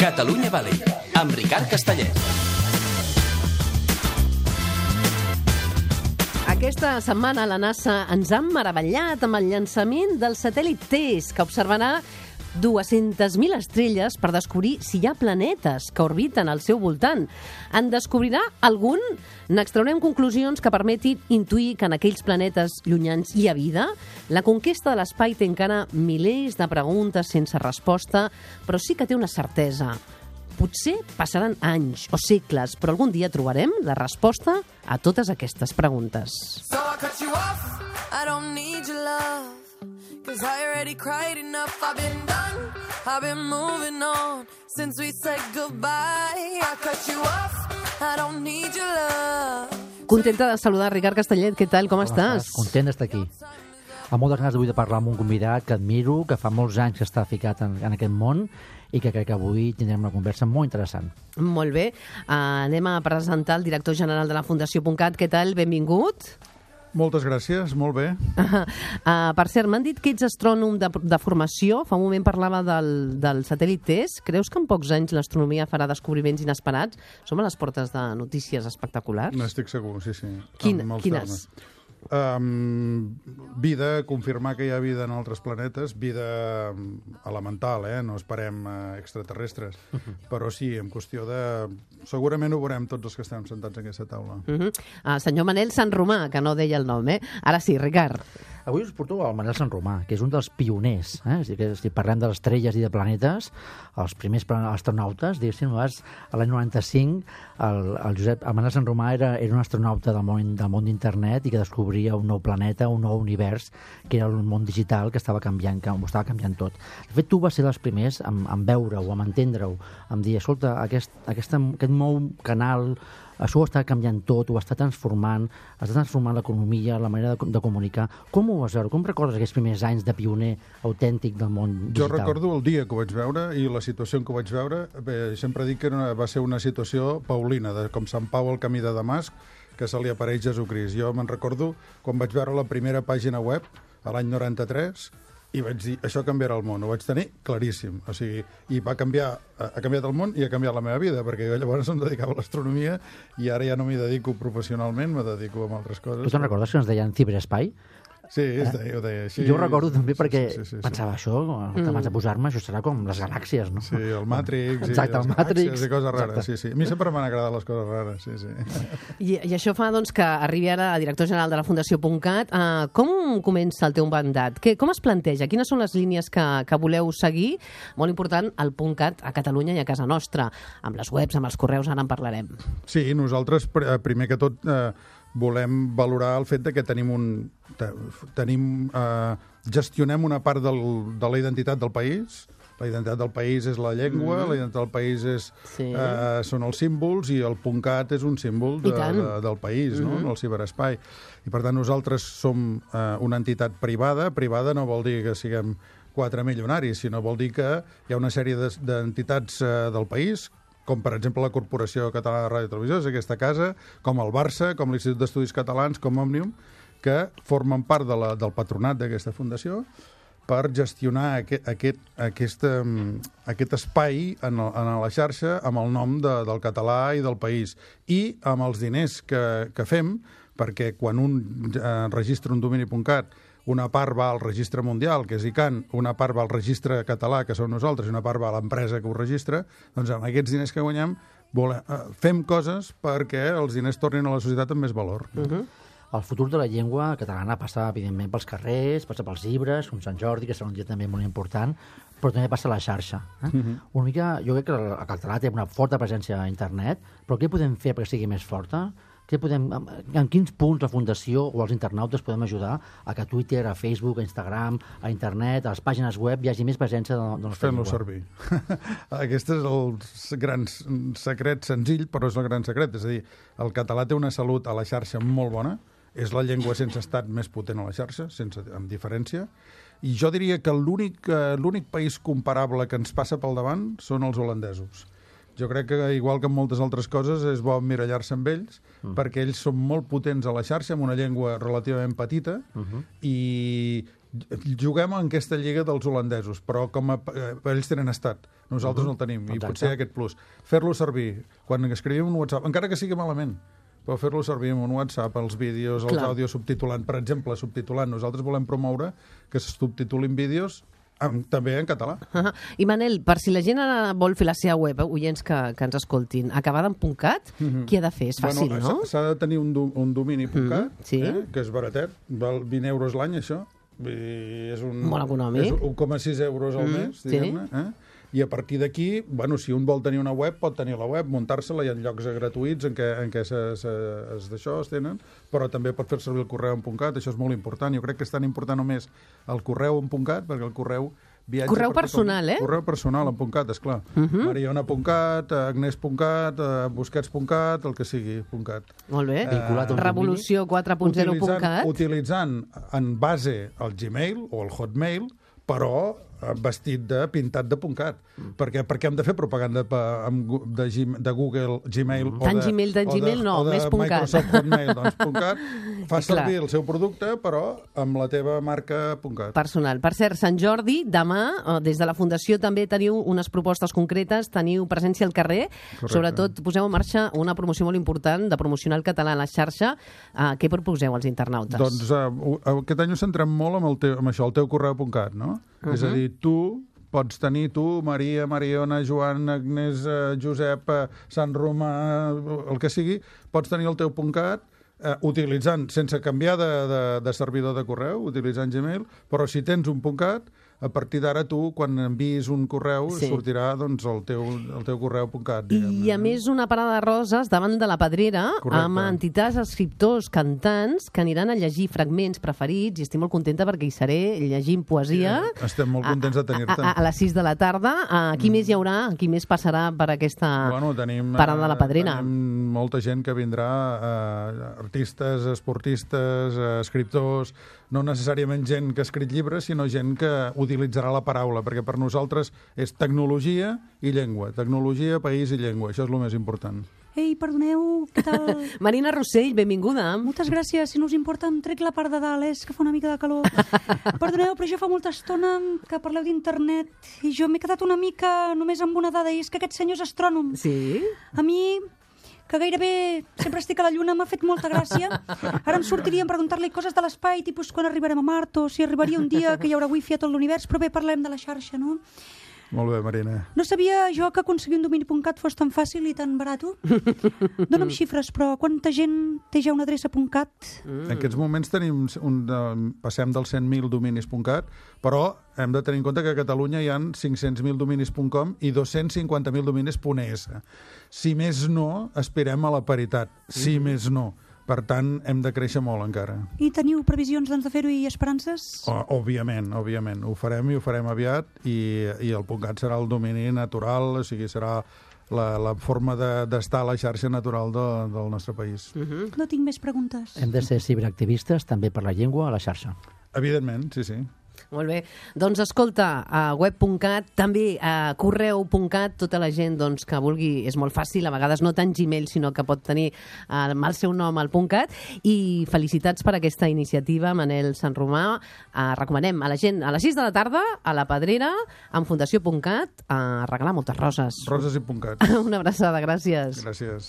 Catalunya Valley, amb Ricard Castellet. Aquesta setmana la NASA ens ha meravellat amb el llançament del satèl·lit TESS, que observarà 200.000 estrelles per descobrir si hi ha planetes que orbiten al seu voltant. En descobrirà algun? N'extraurem conclusions que permetin intuir que en aquells planetes llunyans hi ha vida? La conquesta de l'espai té encara milers de preguntes sense resposta, però sí que té una certesa. Potser passaran anys o segles, però algun dia trobarem la resposta a totes aquestes preguntes. So I cut you off, I don't need your love, 'cause I already cried enough, I've been done, I've been moving on, since we said goodbye. I cut you off, I don't need your love. Contenta de saludar Ricard Castellet, què tal, com estàs? Content d'estar aquí. Amb moltes ganes d'avui de parlar amb un convidat que admiro, que fa molts anys que està ficat en aquest món i que crec que avui tindrem una conversa molt interessant. Molt bé. Anem a presentar el director general de la Fundació.cat. Què tal? Benvingut. Moltes gràcies, molt bé. Per cert, m'han dit que ets astrònom de formació. Fa un moment parlava del satèl·lit TESS. Creus que en pocs anys l'astronomia farà descobriments inesperats? Som a les portes de notícies espectaculars? N'estic segur, sí. Quines? Vida, confirmar que hi ha vida en altres planetes, vida elemental, no esperem extraterrestres, però sí, en qüestió de... Segurament ho veurem tots els que estem sentats en aquesta taula. Senyor Manel Sant Romà, que no deia el nom, Ara sí, Ricard. Avui us porto al Manel Sant Romà, que és un dels pioners. Si parlem de les estrelles i de planetes, els primers astronautes, diguéssim, a l'any 95, el Manel Sant Romà era un astronauta del món d'internet i que descobria un nou planeta, un nou univers, que era el món digital que estava canviant, que ho estava canviant tot. De fet, tu vas ser dels primers en veure-ho, en entendre-ho, en dir, escolta, aquest nou canal, això ho està canviant tot, ho està transformant l'economia, la manera de comunicar. Com ho vas veure? Com recordes aquests primers anys de pioner autèntic del món digital? Jo recordo el dia que ho vaig veure i la situació en què ho vaig veure. Bé, sempre dic que va ser una situació paulina, com Sant Pau al camí de Damasc, que se li apareix Jesucrist. Jo me'n recordo quan vaig veure la primera pàgina web, a l'any 93, i vaig dir, això canviarà el món. Ho vaig tenir claríssim. O sigui, i ha canviat el món i ha canviat la meva vida, perquè jo llavors em dedicava a l'astronomia i ara ja no m'hi dedico professionalment, me dedico a altres coses. Tu te'n recordes que ens deien ciberespai? Sí, ho deia així. Jo ho recordo també perquè sí. pensava això, abans de posar-me, això serà com les galàxies, no? Sí, el Matrix, exacte, el Matrix, i coses rares, sí. A mi sempre m'han agradat les coses rares, sí. I això fa doncs, que arribi ara a director general de la Fundació.cat. Com comença el teu mandat? Com es planteja? Quines són les línies que voleu seguir? Molt important, el .cat a Catalunya i a casa nostra, amb les webs, amb els correus, ara en parlarem. Sí, nosaltres, primer que tot, volem valorar el fet de que gestionem una part de la identitat del país. La identitat del país és la llengua, la identitat del país són els símbols i el .cat és un símbol del país, no? El ciberespai. I per tant nosaltres som una entitat privada. Privada no vol dir que siguem 4 milionaris, sinó vol dir que hi ha una sèrie d'entitats del país, com per exemple la Corporació Catalana de Ràdio i Televisió, és aquesta casa, com el Barça, com l'Institut d'Estudis Catalans, com Òmnium, que formen part del patronat d'aquesta fundació per gestionar aquest espai en la xarxa amb el nom del català i del país. I amb els diners que fem, perquè quan un registra un domini.cat, una part va al registre mundial, que és ICANN, una part va al registre català, que som nosaltres, i una part va a l'empresa que ho registra, doncs amb aquests diners que guanyem fem coses perquè els diners tornin a la societat amb més valor. El futur de la llengua catalana passa, evidentment, pels carrers, passa pels llibres, com Sant Jordi, que serà un dia també molt important, però també passa a la xarxa. Una mica, jo crec que el català té una forta presència a internet, però què podem fer perquè sigui més forta? En quins punts la Fundació o els internautes podem ajudar a que Twitter, a Facebook, a Instagram, a internet, a les pàgines web hi hagi més presència de la nostra llengua? Fem-lo servir. Aquest és el gran secret, senzill, però és el gran secret. És a dir, el català té una salut a la xarxa molt bona, és la llengua sense estat més potent a la xarxa, amb diferència, i jo diria que l'únic país comparable que ens passa pel davant són els holandesos. Jo crec que, igual que en moltes altres coses, és bo emmirallar-se amb ells, perquè ells són molt potents a la xarxa, amb una llengua relativament petita, i juguem en aquesta lliga dels holandesos, però ells tenen estat. Nosaltres no el tenim, i potser aquest plus. Fer-lo servir. Quan escrivim un WhatsApp, encara que sigui malament, però fer-lo servir en un WhatsApp, els vídeos, els àudios subtitulant. Per exemple, subtitulant. Nosaltres volem promoure que se subtitulin vídeos també en català. I Manel, per si la gent ara vol fer la seva web, oients que ens escoltin, acabada en .cat, què ha de fer? És fàcil, no? S'ha de tenir un domini .cat, que és baratet, val 20 euros l'any, això. És molt econòmic. És 1,6 euros al mes, diguem-ne. I a partir d'aquí, si un vol tenir una web, pot tenir la web, muntar-se-la, hi ha llocs gratuïts en què es tenen, però també pot fer servir el correu en .cat, això és molt important. Jo crec que és tan important només el correu en .cat, perquè el correu viatja... Correu personal, Correu personal en .cat, esclar. Mariona.cat, Agnès.cat, Busquets.cat, el que sigui, .cat. Molt bé. Revolució 4.0.cat. Utilitzant en base al Gmail o el Hotmail, però vestit pintat de .cat. Perquè hem de fer propaganda de Google, Gmail tant Gmail no, més de Microsoft Hotmail, doncs .cat. Fa servir el seu producte, però amb la teva marca .cat. Personal. Per cert, Sant Jordi, demà, des de la Fundació també teniu unes propostes concretes, teniu presència al carrer, sobretot poseu en marxa una promoció molt important de promocionar el català a la xarxa. Què proposeu als internautes? Doncs aquest any us centrem molt amb això, el teu correu.cat, no? És a dir, tu pots tenir, Maria, Mariona, Joan, Agnès, Josep, Sant Romà, el que sigui, pots tenir el teu .cat utilitzant, sense canviar de servidor de correu, utilitzant Gmail, però si tens un .cat, a partir d'ara tu, quan enviïs un correu, sortirà el teu correu.cat. I a més una parada de roses davant de la Pedrera, amb entitats, escriptors, cantants, que aniran a llegir fragments preferits, i estic molt contenta perquè hi seré llegint poesia. Estem molt contents de tenir-te. A les 6 de la tarda. Qui més hi haurà? Qui més passarà per aquesta parada de la Pedrera? Tenim molta gent que vindrà, artistes, esportistes, escriptors, no necessàriament gent que ha escrit llibres, sinó gent que utilitzarà la paraula, perquè per nosaltres és tecnologia i llengua. Tecnologia, país i llengua. Això és el més important. Ei, perdoneu, què tal? Marina Rossell, benvinguda. Moltes gràcies. Si no us importa, em trec la part de dalt, que fa una mica de calor. Perdoneu, però jo fa molta estona que parleu d'internet i jo m'he quedat una mica només amb una dada, i és que aquest senyor és astrònom. Sí? A mi, que gairebé sempre estic a la Lluna, m'ha fet molta gràcia. Ara em sortiria a preguntar-li coses de l'espai, tipus quan arribarem a Mart, o si arribaria un dia que hi haurà wifi a tot l'univers, però bé, parlem de la xarxa, no? Molt bé, Marina. No sabia jo que aconseguir un domini.cat fos tan fàcil i tan barat. Dóna'm xifres, però quanta gent té ja una adreça.cat? En aquests moments passem dels 100.000 dominis.cat, però hem de tenir en compte que a Catalunya hi ha 500.000 dominis.com i 250.000 dominis.es. Si més no, aspirem a la paritat. Si més no. Per tant, hem de créixer molt encara. I teniu previsions de fer-ho i esperances? Òbviament. Ho farem i ho farem aviat, i el .cat serà el domini natural, o sigui, serà la forma d'estar a la xarxa natural del nostre país. No tinc més preguntes. Hem de ser ciberactivistes també per la llengua a la xarxa. Evidentment, sí. Molt bé. Doncs escolta, a web.cat, també a correu.cat, tota la gent que vulgui, és molt fàcil, a vegades no tant Gmail, sinó que pot tenir amb el seu nom al .cat, i felicitats per aquesta iniciativa, Manel Sant Romà. Recomanem a la gent a les 6 de la tarda, a la Pedrera, amb Fundació.cat, a regalar moltes roses. Roses i .cat. Una abraçada, gràcies. Gràcies.